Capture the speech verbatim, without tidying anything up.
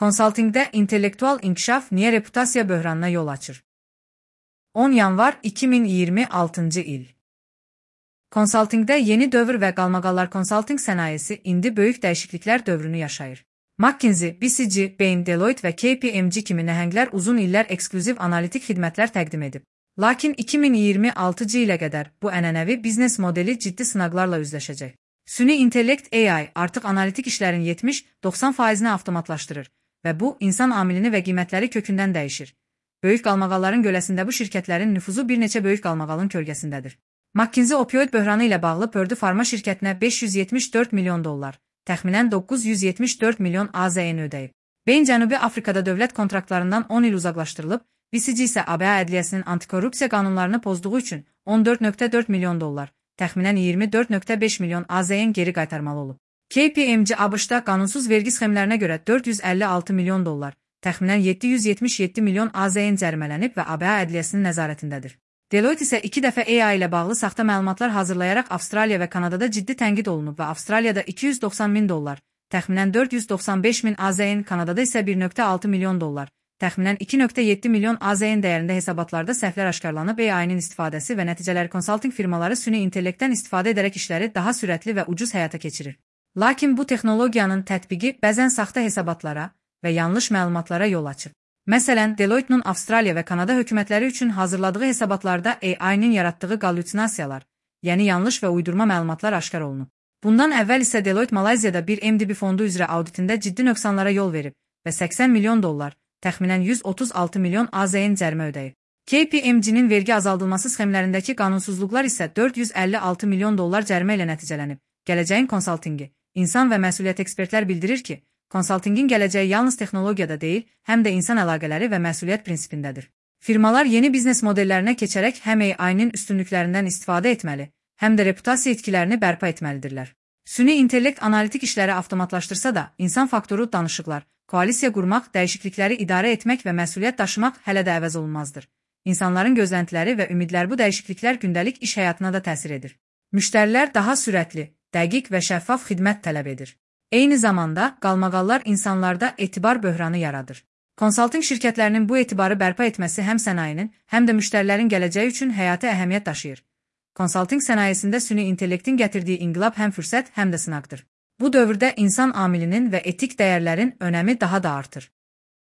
Konsaltingdə intellektual inkişaf niyə reputasiya böhranına yol açır? on yanvar iki min iyirmi altıncı il. Konsaltingdə yeni dövr və qalmaqallar konsalting sənayesi indi böyük dəyişikliklər dövrünü yaşayır. McKinsey, B C G, Bain, Deloitte və K P M G kimi nəhənglər uzun illər eksklüziv analitik xidmətlər təqdim edib. Lakin iki min iyirmi altıncı ilə qədər bu ənənəvi biznes modeli ciddi sınaqlarla üzləşəcək. Süni intellekt A I artıq analitik işlərin yetmiş doxsan faizini avtomatlaşdırır və bu, insan amilini və qiymətləri kökündən dəyişir. Böyük qalmaqalların göləsində bu şirkətlərin nüfuzu bir neçə böyük qalmaqalın kölgəsindədir. McKinsey opioid böhranı ilə bağlı Purdue Pharma şirkətinə beş yüz yetmiş dörd milyon dollar, təxminən doqquz yüz yetmiş dörd milyon A Z N ödəyib. Bain Cənubi Afrikada dövlət kontraktlarından on il uzaqlaşdırılıb, B C G isə A B A ədliyyəsinin antikorrupsiya qanunlarını pozduğu üçün on dörd nöqtə dörd milyon dollar, təxminən iyirmi dörd nöqtə beş milyon A Z N geri qaytarmalı olub. K P M G A B Ş-da qanunsuz vergi sxemlərinə görə dörd yüz əlli altı milyon dollar, təxminən yeddi yüz yetmiş yeddi milyon A Z N cərimələnib və A B A ədliyyəsinin nəzarətindədir. Deloitte isə iki dəfə A I ilə bağlı saxta məlumatlar hazırlayaraq Avstraliya və Kanadada ciddi tənqid olunub və Avstraliyada iki yüz doxsan min dollar, təxminən dörd yüz doxsan beş min A Z N, Kanadada isə bir nöqtə altı milyon dollar, təxminən iki nöqtə yeddi milyon A Z N dəyərində hesabatlarda səhvlər aşkarlanıb. A I-nin istifadəsi və nəticələri konsalting firmaları süni intellektdən istifadə edərək işləri daha sürətli və ucuz həyata keçirir. Lakin bu texnologiyanın tətbiqi bəzən saxta hesabatlara və yanlış məlumatlara yol açır. Məsələn, Deloitte'nin Avstraliya və Kanada hökumətləri üçün hazırladığı hesabatlarda A I-nin yaratdığı qallüsinasiyalar, yəni yanlış və uydurma məlumatlar aşkar olunub. Bundan əvvəl isə Deloitte Malayziyada bir M D B fondu üzrə auditində ciddi nöqsanlara yol verib və səksən milyon dollar, təxminən yüz otuz altı milyon A Z N cərimə ödəyib. K P M G-nin vergi azaldılması sxemlərindəki qanunsuzluqlar isə dörd yüz əlli altı milyon dollar cərimə ilə nəticələnib. Gələcəyin konsaltingi. İnsan və məsuliyyət ekspertlər bildirir ki, konsaltingin gələcəyi yalnız texnologiyada deyil, həm də insan əlaqələri və məsuliyyət prinsipindədir. Firmalar yeni biznes modellərinə keçərək həm A I-nin üstünlüklərindən istifadə etməli, həm də reputasiya itkilərini bərpa etməlidirlər. Süni intellekt analitik işləri avtomatlaşdırsa da, insan faktoru danışıqlar, koalisiya qurmaq, dəyişiklikləri idarə etmək və məsuliyyət daşımaq hələ də əvəz olunmazdır. İnsanların gözləntiləri və ümidlər bu dəyişikliklər gündəlik iş həyatına da təsir edir. Müştərilər daha sürətli, dəqiq və şəffaf xidmət tələb edir. Eyni zamanda, qalmaqallar insanlarda etibar böhranı yaradır. Konsalting şirkətlərinin bu etibarı bərpa etməsi həm sənayenin, həm də müştərilərin gələcəyi üçün həyati əhəmiyyət daşıyır. Konsalting sənayesində süni intellektin gətirdiyi inqilab həm fürsət, həm də sınaqdır. Bu dövrdə insan amilinin və etik dəyərlərin önəmi daha da artır.